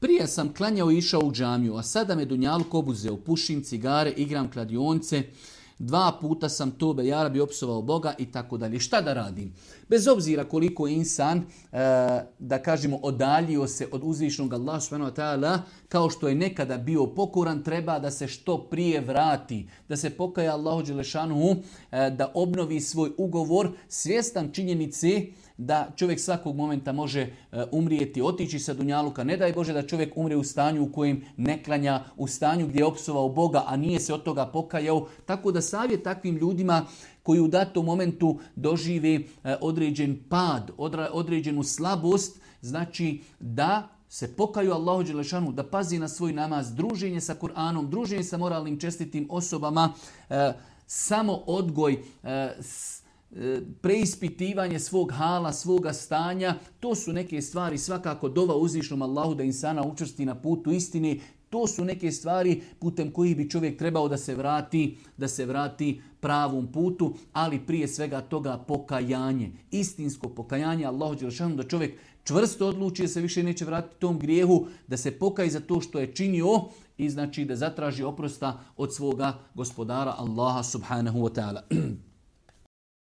Prije sam klanjao i išao u džamiju, a sada me dunjaluk obuzeo, pušim cigare, igram kladionce, 2 puta sam tobe ja Rabbi opsovao Boga i tako dalje. Šta da radim? Bez obzira koliko je insan, da kažemo, odaljio se od uzvišnog Allaha subhanahu wa ta'ala, kao što je nekada bio pokoran, treba da se što prije vrati, da se pokaja Allahu dželešanuhu, da obnovi svoj ugovor, svjestan činjenice da čovjek svakog momenta može umrijeti, otići sa dunjaluka. Ne daj Bože da čovjek umre u stanju u kojem ne klanja, u stanju gdje je opsovao Boga, a nije se od toga pokajao. Tako da savjet takvim ljudima koji u datom momentu dožive određen pad, određenu slabost, znači da se pokaju Allahu dželešanu, da pazi na svoj namaz, druženje sa Kur'anom, druženje sa moralnim čestitim osobama, samo odgoj, preispitivanje svog hala, svoga stanja, to su neke stvari, svakako dova uzvišnom Allahu da insana učvrsti na putu istine. To su neke stvari putem kojih bi čovjek trebao da se vrati pravom putu, ali prije svega toga pokajanje, istinsko pokajanje Allahu dželešanu, da čovjek čvrsto odluči da se više neće vratiti tom grijehu, da se pokaje za to što je činio i znači da zatraži oprosta od svoga gospodara Allaha subhanahu wa ta'ala.